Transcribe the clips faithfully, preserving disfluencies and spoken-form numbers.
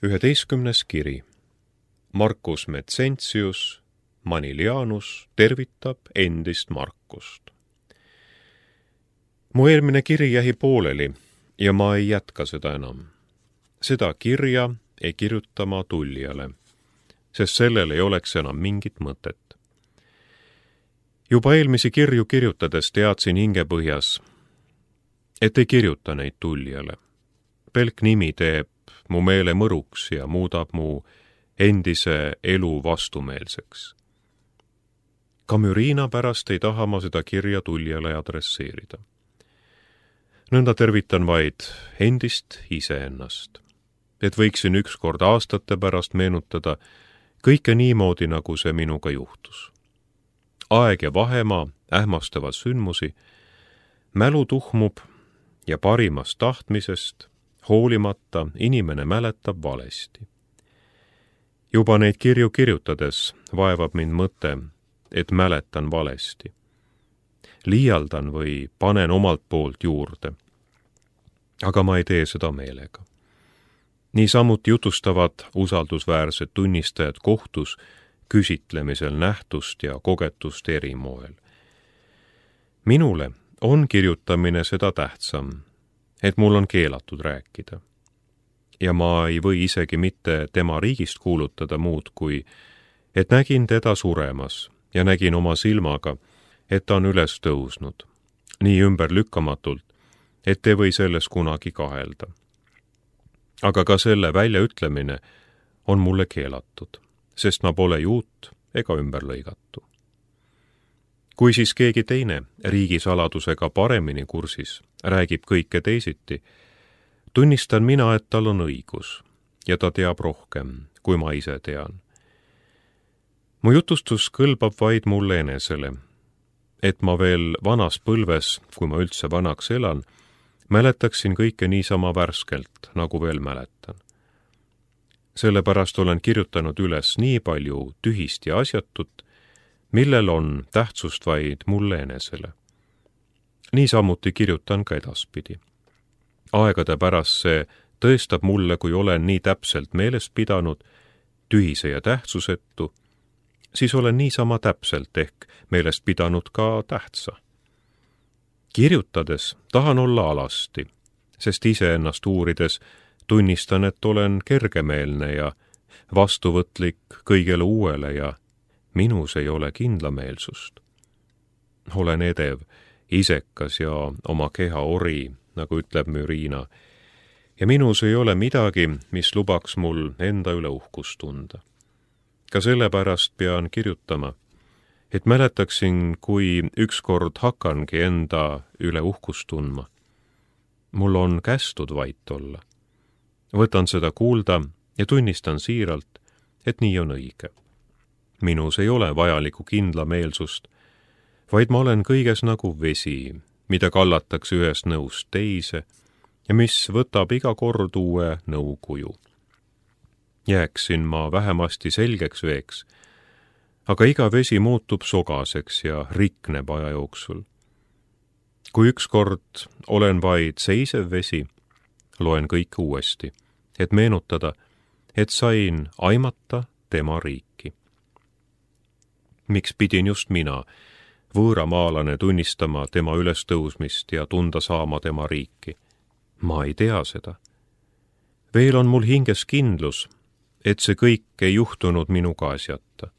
üheteistkümnes kiri. Marcus Mezentius Manilianus tervitab endist Marcust. Mu eelmine kiri jäi pooleli ja ma ei jätka seda enam. Seda kirja ei kirjuta ma tullijale, sest sellel ei oleks enam mingit mõtet. Juba eelmisi kirju kirjutades teadsin hingepõhjas, et ei kirjuta neid tullijale. Pelk nimi teeb mu meele mõruks ja muudab mu endise elu vastumeelseks. Ka Müriina pärast ei taha ma seda kirja tullijale adresseerida. Nõnda tervitan vaid endist iseennast, et võiksin ükskord aastate pärast meenutada kõike niimoodi, nagu see minuga juhtus. Aeg ja vahemaa ähmastavad sündmusi, mälu tuhmub ja parimast tahtmisest hoolimata inimene mäletab valesti. Juba neid kirju kirjutades vaevab mind mõte, et mäletan valesti. Liialdan või panen omalt poolt juurde. Aga ma ei tee seda meelega. Niisamuti jutustavad usaldusväärsed tunnistajad kohtus küsitlemisel nähtust ja kogetust eri moel. Minule on kirjutamine seda tähtsam, et mul on keelatud rääkida. Ja ma ei või isegi mitte tema riigist kuulutada muud kui, et nägin teda suremas ja nägin oma silmaga, et ta on üles tõusnud, nii ümberlükkamatult, et ei või selles kunagi kahelda. Aga ka selle väljaütlemine on mulle keelatud, sest ma pole juut ega ümberlõigatu. Kui siis keegi teine riigisaladusega paremini kursis räägib kõike teisiti, tunnistan mina, et tal on õigus ja ta teab rohkem, kui ma ise tean. Mu jutustus kõlbab vaid mulle enesele, et ma veel vanas põlves, kui ma üldse vanaks elan, mäletaksin kõike niisama värskelt, nagu veel mäletan. Sellepärast olen kirjutanud üles nii palju tühist ja asjatut, millel on tähtsust vaid mulle enesele. Niisamuti kirjutan ka edaspidi. Aegade pärast see tõestab mulle, kui olen nii täpselt meeles pidanud, tühise ja tähtsusetu, siis olen niisama täpselt ehk meelest pidanud ka tähtsa. Kirjutades tahan olla alasti, sest iseennast uurides tunnistan, et olen kergemeelne ja vastuvõtlik kõigele uuele ja minus ei ole kindlameelsust. Olen edev, isekas ja oma keha ori, nagu ütleb Müriina, ja minus ei ole midagi, mis lubaks mul enda üle uhkust tunda. Ka sellepärast pean kirjutama, et mäletaksin, kui ükskord hakkangi enda üle uhkust tundma. Mul on kästud vait olla. Võtan seda kuulda ja tunnistan siiralt, et nii on õige. Minus ei ole vajalikku kindlameelsust, vaid ma olen kõiges nagu vesi, mida kallatakse ühest nõust teise ja mis võtab iga kord uue nõukuju. Jääksin ma vähemasti selgeks veeks, aga iga vesi muutub sogaseks ja rikneb aja jooksul. Kui ükskord olen vaid seisev vesi, loen kõike uuesti, et meenutada, et sain aimata tema riiki. Miks pidin just mina, võõramaalane, tunnistama tema ülestõusmist ja tunda saama tema riiki? Ma ei tea seda. Veel on mul hinges kindlus, et see kõik ei juhtunud minuga asjata.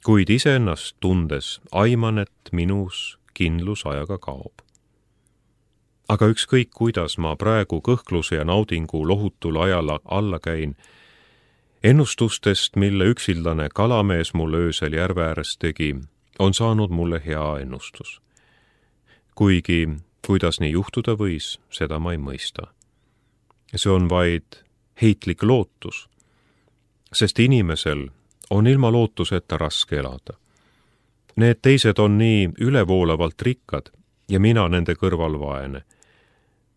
Kuid iseennast tundes aiman, et minus kindlus ajaga kaob. Aga ükskõik, kuidas ma praegu kõhkluse ja naudingu lohutul ajal alla käin, ennustustest, mille üksildane kalamees mul öösel järve ääres tegi, on saanud mulle hea ennustus. Kuigi, kuidas nii juhtuda võis, seda ma ei mõista. See on vaid heitlik lootus, sest inimesel on ilma lootuseta raske elada. Need teised on nii ülevoolavalt rikkad ja mina nende kõrval vaene.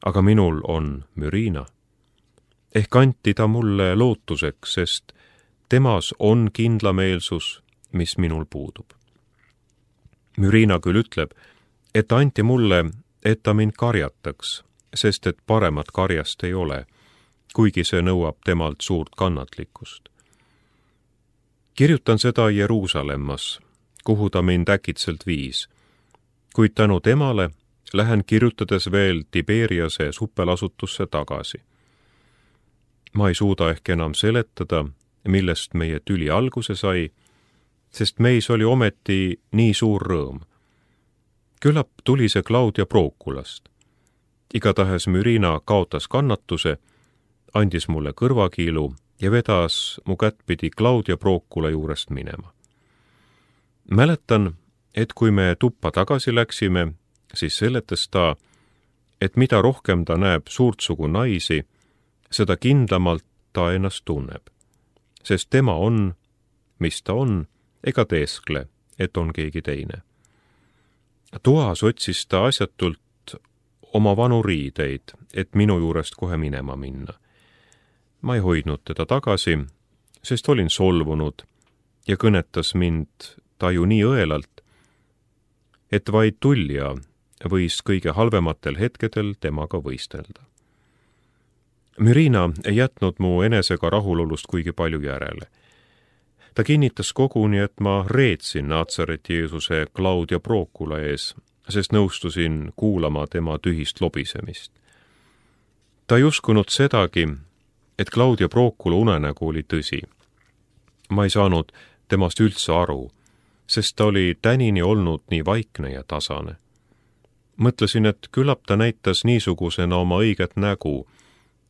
Aga minul on Müriina. Ehk anti ta mulle lootuseks, sest temas on kindlameelsus, mis minul puudub. Müriina küll ütleb, et anti mulle, et ta mind karjataks, sest et paremat karjast ei ole, kuigi see nõuab temalt suurt kannatlikkust. Kirjutan seda Jeruusalemmas, kuhu ta mind äkitselt viis, kuid tänu temale lähen kirjutades veel Tiberiase supelasutusse tagasi. Ma ei suuda ehk enam seletada, millest meie tüli alguse sai, sest meis oli ometi nii suur rõõm. Küllap tuli see Claudia Proculast. Igatahes Mürina kaotas kannatuse, andis mulle kõrvakiilu ja vedas mu kättpidi Claudia Procula juurest minema. Mäletan, et kui me tuppa tagasi läksime, siis seletas ta, et mida rohkem ta näeb suurtsugu naisi, seda kindlamalt ta ennast tunneb, sest tema on, mis ta on, ega teeskle, et on keegi teine. Toas otsis ta asjatult oma vanu riideid, et minu juurest kohe minema minna. Ma ei hoidnud teda tagasi, sest olin solvunud ja kõnetas mind ta ju nii õelalt, et vaid tullija võis kõige halvematel hetkedel temaga võistelda. Mürina ei jätnud mu enesega rahulolust kuigi palju järele. Ta kinnitas koguni, et ma reetsin Natsareti Jeesuse Claudia Procula ees, sest nõustusin kuulama tema tühist lobisemist. Ta ei uskunud sedagi, et Claudia Procula unenägu oli tõsi. Ma ei saanud temast üldse aru, sest ta oli tänini olnud nii vaikne ja tasane. Mõtlesin, et küllap ta näitas niisugusena oma õiget nägu,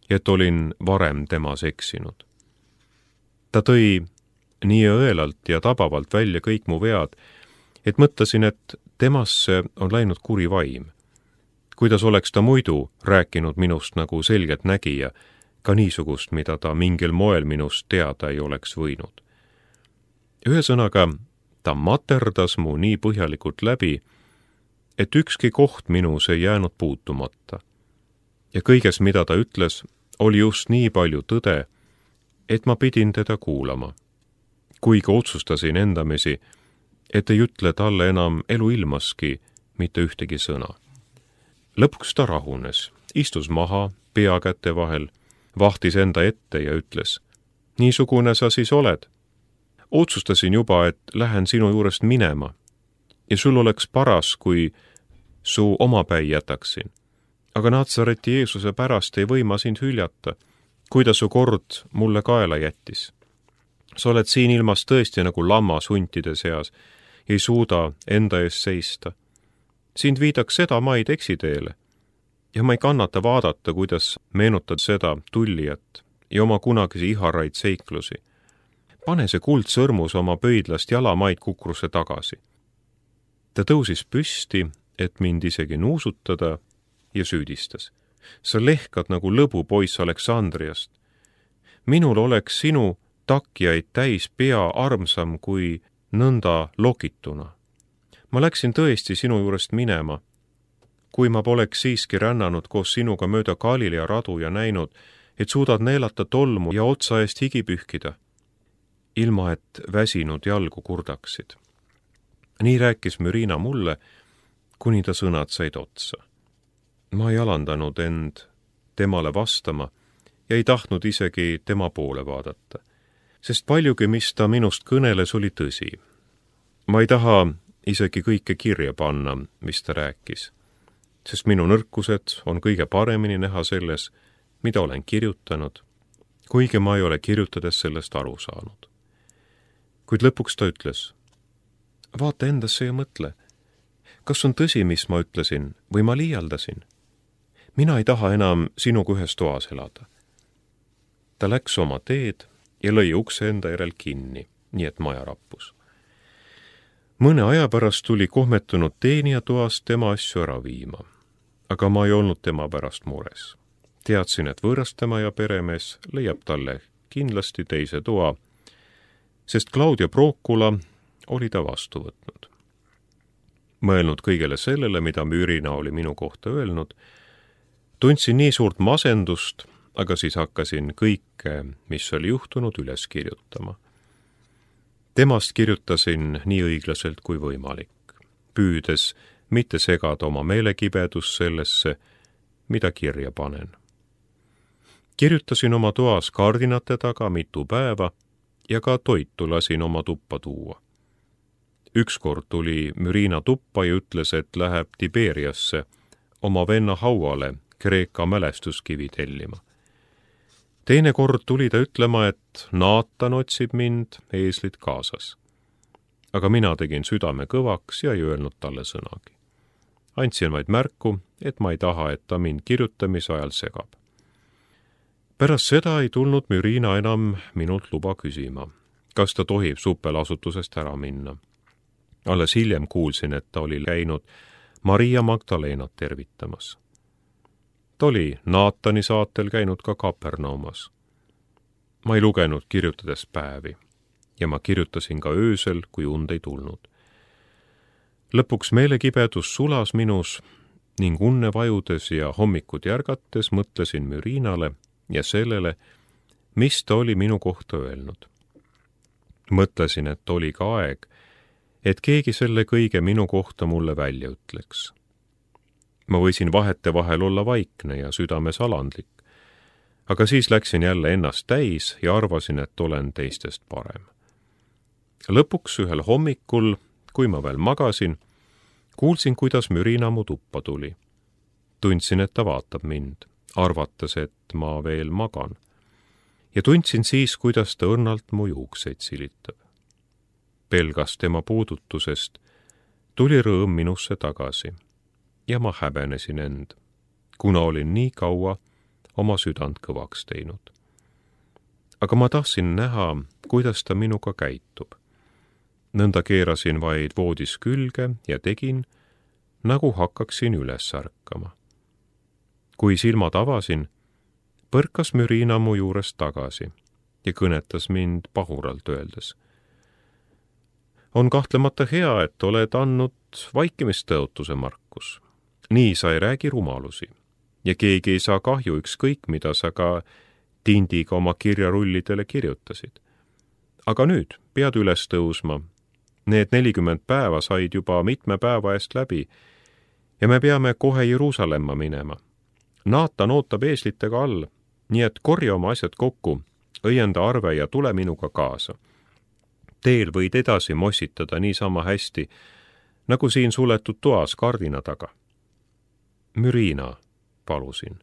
et olin varem temas eksinud. Ta tõi nii õelalt ja tabavalt välja kõik mu vead, et mõtlesin, et temasse on läinud kuri vaim. Kuidas oleks ta muidu rääkinud minust nagu selgelt nägija, ka niisugust, mida ta mingil moel minust teada ei oleks võinud. Ühesõnaga, ta materdas mu nii põhjalikult läbi, et ükski koht minus ei jäänud puutumata. Ja kõiges, mida ta ütles, oli just nii palju tõde, et ma pidin teda kuulama. Kuigi otsustasin endamisi, et ei ütle talle enam eluilmaski mitte ühtegi sõna. Lõpuks ta rahunes, istus maha pea käte vahel, vahtis enda ette ja ütles, niisugune sa siis oled. Otsustasin juba, et lähen sinu juurest minema ja sul oleks paras, kui su omapäi jätaksin. Aga Natsareti Jeesuse pärast ei või ma sind hüljata, kui ta su kord mulle kaela jättis. Sa oled siin ilmas tõesti nagu lammas huntide seas, ei suuda enda ees seista. Sind viidaks seda maid eksiteele ja ma ei kannata vaadata, kuidas meenutad seda tullijat ja oma kunagisi iharaid seiklusi. Pane see kuldsõrmus oma pöidlast jalamaid kukrusse tagasi. Ta tõusis püsti, et mind isegi nuusutada ja süüdistas. Sa lehkad nagu lõbupoiss Aleksandriast. Minul oleks sinu takjaid täis pea armsam kui nõnda lokituna. Ma läksin tõesti sinu juurest minema, kui ma poleks siiski rännanud koos sinuga mööda Galilea radu ja näinud, et suudad neelata tolmu ja otsa eest higi pühkida, ilma et väsinud jalgu kurdaksid. Nii rääkis Mürina mulle, kuni ta sõnad said otsa. Ma ei alandanud end temale vastama ja ei tahtnud isegi tema poole vaadata, sest paljugi, mis ta minust kõneles, oli tõsi. Ma ei taha isegi kõike kirja panna, mis ta rääkis, sest minu nõrkused on kõige paremini näha selles, mida olen kirjutanud, kuigi ma ei ole kirjutades sellest aru saanud. Kuid lõpuks ta ütles, vaata endasse ja mõtle, kas on tõsi, mis ma ütlesin, või ma liialdasin? Mina ei taha enam sinuga ühes toas elada. Ta läks oma teed ja lõi ukse enda järel kinni, nii et maja rappus. Mõne aja pärast tuli kohmetunud teenija toast tema asju ära viima, aga ma ei olnud tema pärast mures. Teadsin, et võõrastama ja peremees leiab talle kindlasti teise toa, sest Claudia Procula oli ta vastu võtnud. Mõelnud kõigele sellele, mida Mürina oli minu kohta öelnud, tundsin nii suurt masendust, aga siis hakkasin kõike, mis oli juhtunud, üles kirjutama. Temast kirjutasin nii õiglaselt kui võimalik, püüdes mitte segada oma meelekibedus sellesse, mida kirja panen. kirjutasin oma toas kardinate taga mitu päeva ja ka toitu lasin oma tuppa tuua. Ükskord tuli Mürina tuppa ja ütles, et läheb Tiberiasse oma venna hauale Kreeka mälestuskivi tellima. Teine kord tuli ta ütlema, et Naatan otsib mind, eeslid kaasas. Aga mina tegin südame kõvaks ja ei öelnud talle sõnagi. Andsin vaid märku, et ma ei taha, et ta mind kirjutamise ajal segab. Pärast seda ei tulnud Mürina enam minult luba küsima, kas ta tohib supelasutusest ära minna. Alles hiljem kuulsin, et ta oli käinud Maria Magdalenat tervitamas. Ta oli Naatani saatel käinud ka Kapernaumas. Ma ei lugenud kirjutades päevi ja ma kirjutasin ka öösel, kui und ei tulnud. Lõpuks meelekibedus sulas minus ning unne vajudes ja hommikut järgates mõtlesin Mürinale ja sellele, mis ta oli minu kohta öelnud. Mõtlesin, et oli ka aeg, et keegi selle kõige minu kohta mulle välja ütleks. Ma võisin vahete vahel olla vaikne ja südames alandlik, aga siis läksin jälle ennast täis ja arvasin, et olen teistest parem. Lõpuks ühel hommikul, kui ma veel magasin, kuulsin, kuidas Mürina mu tuppa tuli. Tundsin, et ta vaatab mind, arvates, et ma veel magan. Ja tundsin siis, kuidas ta õrnalt mu juukseid silitab. Pelgas tema puudutusest, tuli rõõm minusse tagasi ja ma häbenesin end, kuna olin nii kaua oma südant kõvaks teinud. Aga ma tahtsin näha, kuidas ta minuga käitub. Nõnda keerasin vaid voodis külge ja tegin, nagu hakkaksin üles ärkama. Kui silmad avasin, põrkas Mürina mu juurest tagasi ja kõnetas mind pahuralt öeldes. On kahtlemata hea, et oled andnud vaikimistõotuse, Markus. Nii sa ei räägi rumalusi ja keegi ei saa kahju ükskõik, mida sa ka tindiga oma kirjarullidele kirjutasid. Aga nüüd pead üles tõusma. Need nelikümmend päeva said juba mitme päeva eest läbi ja me peame kohe Jeruusalemma minema. Naatan ootab eeslitega all, nii et korja oma asjad kokku, õienda arve ja tule minuga kaasa. Teel võid edasi mossitada niisama hästi, nagu siin suletud toas kardina taga. Mürina, palusin.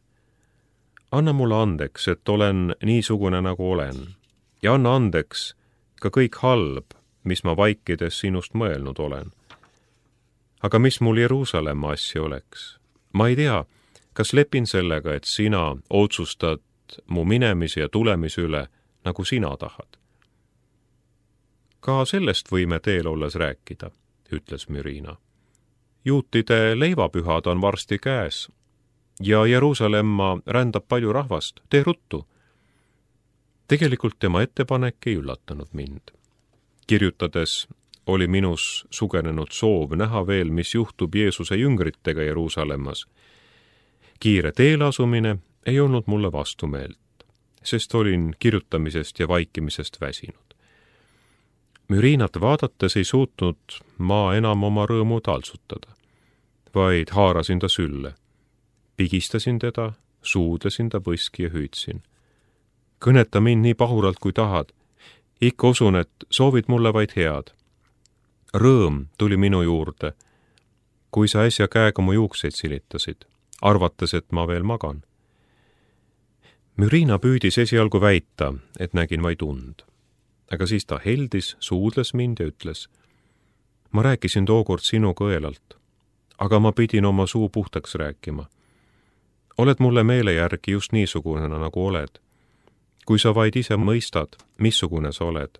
Anna mulle andeks, et olen niisugune, nagu olen, ja anna andeks ka kõik halb, mis ma vaikides sinust mõelnud olen. Aga mis mul Jeruusalemma asja oleks? Ma ei tea, kas lepin sellega, et sina otsustad mu minemise ja tulemise üle, nagu sina tahad. Ka sellest võime teel olles rääkida, ütles Mürina. Juutide leivapühad on varsti käes ja Jeruusalemma rändab palju rahvast, tee ruttu. Tegelikult tema ettepanek ei üllatanud mind. Kirjutades oli minus sugenenud soov näha veel, mis juhtub Jeesuse jüngritega Jeruusalemmas. Kiire teelasumine ei olnud mulle vastumeelt, sest olin kirjutamisest ja vaikimisest väsinud. Mürinat vaadates ei suutnud ma enam oma rõõmu taltsutada, vaid haarasin ta sülle. Pigistasin teda, suudlesin ta põski ja hüüdsin. Kõneta mind nii pahuralt, kui tahad. Ikka usun, et soovid mulle vaid head. Rõõm tuli minu juurde, kui sa äsja käega mu juukseid silitasid, arvates, et ma veel magan. Mürina püüdis esialgu väita, et nägin vaid und. Aga siis ta heldis, suudles mind ja ütles. Ma rääkisin tookord sinu kõelalt, aga ma pidin oma suu puhtaks rääkima. Oled mulle meele järgi just niisugune, nagu oled. Kui sa vaid ise mõistad, missugune sa oled,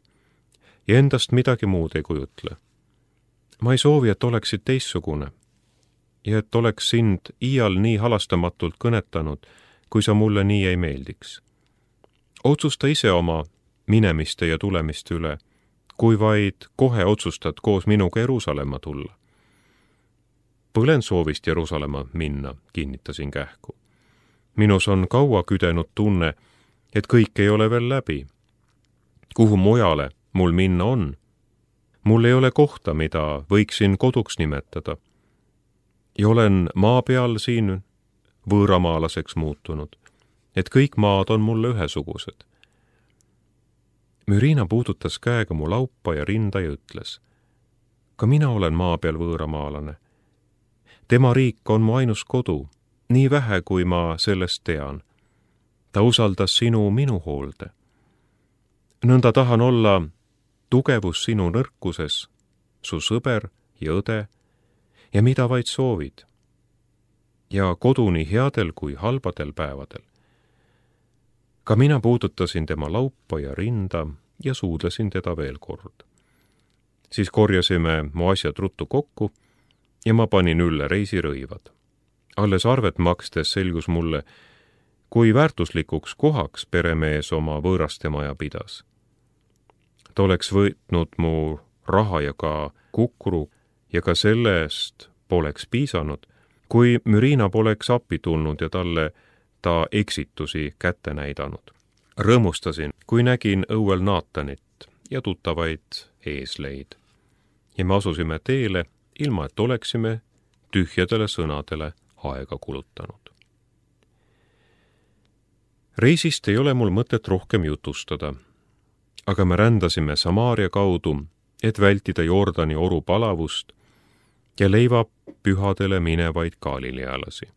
ja endast midagi muud ei kujutle. Ma ei soovi, et oleksid teissugune, ja et oleks sind iial nii halastamatult kõnetanud, kui sa mulle nii ei meeldiks. Otsusta ise oma minemiste ja tulemiste üle, kui vaid kohe otsustad koos minuga Jeruusalemma tulla. Põlen soovist Jeruusalemma minna, kinnitasin kähku. Minus on kaua küdenud tunne, et kõik ei ole veel läbi. Kuhu mujale mul minna on? Mul ei ole kohta, mida võiksin koduks nimetada. Ja olen maa peal siin võõramaalaseks muutunud, et kõik maad on mulle ühesugused. Mürina puudutas käega mu laupa ja rinda ja ütles: ka mina olen maa peal võõramaalane. Tema riik on mu ainus kodu, nii vähe, kui ma sellest tean. Ta usaldas sinu minu hoolde. Nõnda tahan olla tugevus sinu nõrkuses, su sõber ja õde ja mida vaid soovid. Ja kodu nii headel kui halbadel päevadel. Ka mina puudutasin tema laupa ja rinda ja suudlesin teda veel kord. Siis korjasime mu asjad ruttu kokku ja ma panin ülle reisirõivad. Alles arvet makstes selgus mulle, kui väärtuslikuks kohaks peremees oma võõraste maja pidas. Ta oleks võtnud mu raha ja ka kukru ja ka sellest poleks piisanud, kui Mürina poleks appi tulnud ja talle ta eksitusi kätte näidanud. Rõõmustasin, kui nägin õuel Naatanit ja tuttavaid eesleid. Ja me asusime teele, ilma et oleksime tühjadele sõnadele aega kulutanud. Reisist ei ole mul mõtet rohkem jutustada, aga me rändasime Samaaria kaudu, et vältida Jordani oru palavust ja leiva pühadele minevaid galilealasi.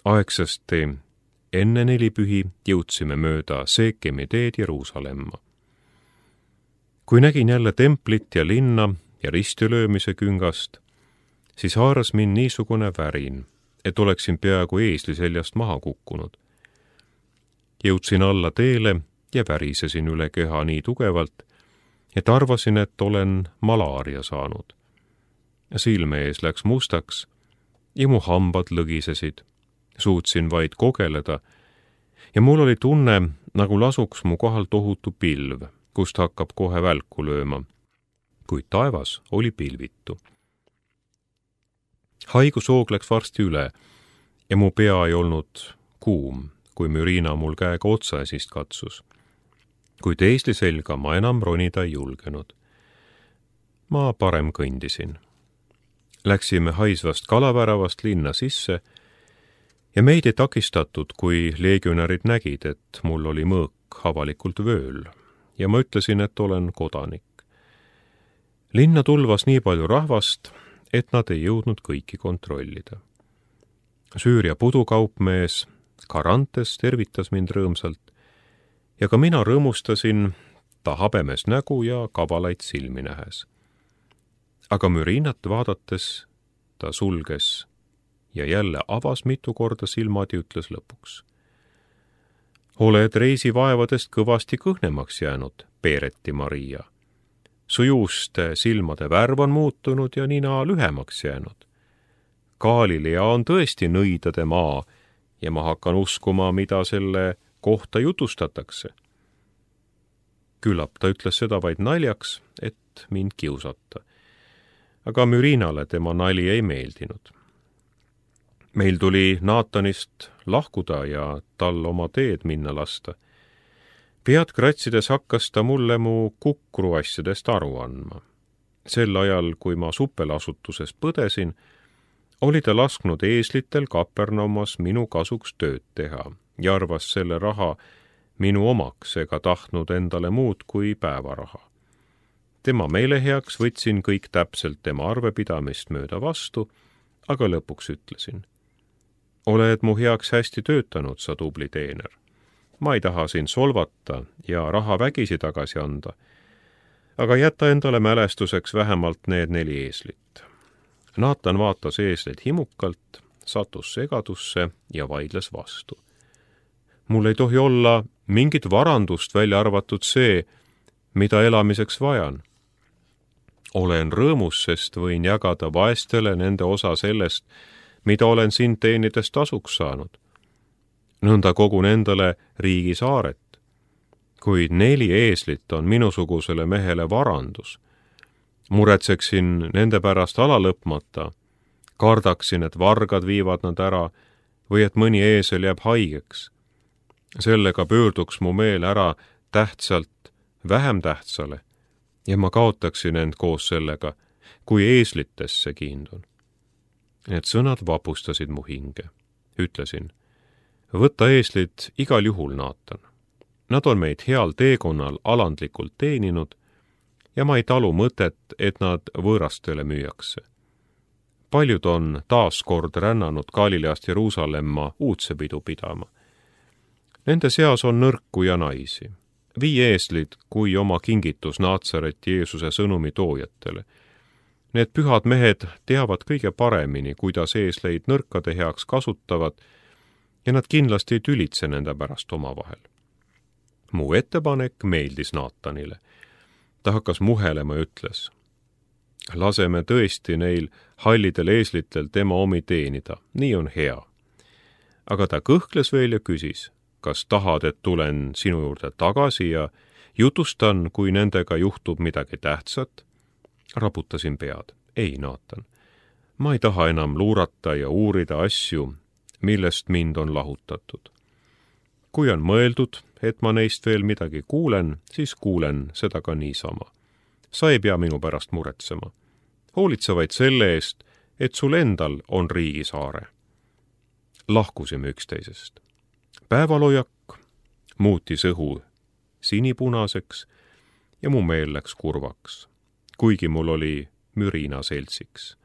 Aegsasti enne nelipühi jõudsime mööda Seekemi teed Jeruusalemma. Kui nägin jälle templit ja linna ja ristilöömise küngast, siis haaras mind niisugune värin, et oleksin peaaegu eesli seljast maha kukkunud. Jõudsin alla teele ja värisesin üle keha nii tugevalt, et arvasin, et olen malaaria saanud. Silme ees läks mustaks ja mu hambad lõgisesid. Suutsin vaid kogeleda ja mul oli tunne, nagu lasuks mu kohal tohutu pilv, kust hakkab kohe välku lööma, kuid taevas oli pilvitu. Haigushoog läks varsti üle ja mu pea ei olnud kuum, kui Mürina mul käega otsaesist katsus. Kuid eesli selga ma enam ronida ei julgenud. Ma parem kõndisin. Läksime haisvast kalaväravast linna sisse ja meid ei takistatud, kui leegionärid nägid, et mul oli mõõk avalikult vööl ja ma ütlesin, et olen kodanik. Linna tulvas nii palju rahvast, et nad ei jõudnud kõiki kontrollida. Süüria pudukaupmees Karantes tervitas mind rõõmsalt ja ka mina rõõmustasin ta habemes nägu ja kavalaid silmi nähes. Aga Mürinat vaadates ta sulges ja jälle avas mitu korda silmad ja ütles lõpuks: oled reisivaevadest kõvasti kõhnemaks jäänud, Peereti Maria. Su juuste silmade värv on muutunud ja nina lühemaks jäänud. Galilea on tõesti nõidade maa ja ma hakkan uskuma, mida selle kohta jutustatakse. Küllap ta ütles seda vaid naljaks, et mind kiusata. Aga Mürinale tema nali ei meeldinud. Meil tuli Naatanist lahkuda ja tal oma teed minna lasta. Pead kratsides hakkas ta mulle mu kukru asjadest aru andma. Sel ajal, kui ma suppelasutuses põdesin, oli ta lasknud eeslitel Kapernaumas minu kasuks tööd teha ja arvas selle raha minu omaks ega tahtnud endale muud kui päevaraha. Tema meele heaks võtsin kõik täpselt tema arvepidamist mööda vastu, aga lõpuks ütlesin: oled mu heaks hästi töötanud, sa tubli teener. Ma ei taha sind solvata ja raha vägisi tagasi anda, aga jäta endale mälestuseks vähemalt need neli eeslit. Naatan vaatas eesleid himukalt, sattus segadusse ja vaidles vastu. Mul ei tohi olla mingit varandust, välja arvatud see, mida elamiseks vajan. Olen rõõmus, sest võin jagada vaestele nende osa sellest, mida olen sind teenides tasuks saanud. Nõnda kogun endale riigi saaret, kuid neli eeslit on minusugusele mehele varandus. Muretseksin nende pärast ala lõpmata, kardaksin, et vargad viivad nad ära või et mõni eesel jääb haigeks. Sellega pöörduks mu meel ära tähtsalt vähem tähtsale ja ma kaotaksin end koos sellega, kui eeslitesse kiindun. Need sõnad vapustasid mu hinge. Ütlesin: võta eeslid igal juhul, Naatan. Nad on meid heal teekonnal alandlikult teeninud ja ma ei talu mõtet, et nad võõrastele müüakse. Paljud on taas kord rännanud Galileast Jeruusalemma uudsepidu pidama. Nende seas on nõrku ja naisi. Vii eeslid kui oma kingitus Naatsareti Jeesuse sõnumi toojatele. Need pühad mehed teavad kõige paremini, kuidas eesleid nõrkade heaks kasutavad ja nad kindlasti ei tülitse nende pärast omavahel. Mu ettepanek meeldis Naatanile. Ta hakkas muhelema ja ütles: laseme tõesti neil hallidel eeslitel tema omi teenida, nii on hea. Aga ta kõhkles veel ja küsis: kas tahad, et tulen sinu juurde tagasi ja jutustan, kui nendega juhtub midagi tähtsat? Raputasin pead. Ei, Naatan, ma ei taha enam luurata ja uurida asju, millest mind on lahutatud. Kui on mõeldud, et ma neist veel midagi kuulen, siis kuulen seda ka niisama. Sa ei pea minu pärast muretsema. Hoolitse vaid selle eest, et sul endal on riigisaare. Lahkusime üksteisest. Päevalojak muutis õhu sinipunaseks ja mu meel läks kurvaks, kuigi mul oli mürina seltsiks.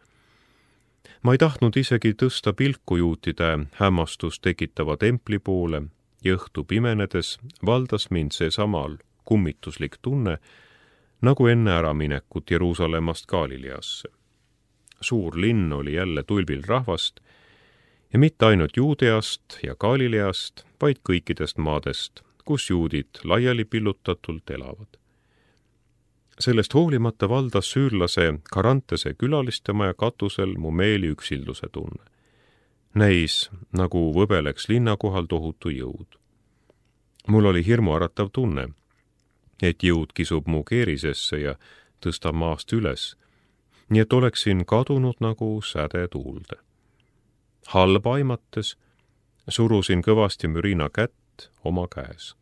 Ma ei tahtnud isegi tõsta pilku juutide hämmastust tekitava templi poole ja õhtu pimenedes valdas mind see samal kummituslik tunne, nagu enne äraminekut Jeruusalemmast Galileasse. Suur linn oli jälle tulbil rahvast ja mitte ainult Juudeast ja Galileast, vaid kõikidest maadest, kus juudid laiali pillutatult elavad. Sellest hoolimata valdas süürlase Karantese külalistemaja katusel mu meeli üksilduse tunne. Näis, nagu võbeleks linna kohal tohutu jõud. Mul oli hirmuäratav tunne, et jõud kisub mu keerisesse ja tõstab maast üles, nii et oleksin kadunud nagu säde tuulde. Halba aimates surusin kõvasti mürina kätt oma käes.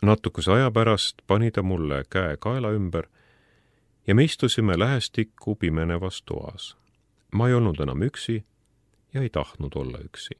Natukese aja pärast pani ta mulle käe kaela ümber ja me istusime lähestikku pimenevas toas. Ma ei olnud enam üksi ja ei tahtnud olla üksi.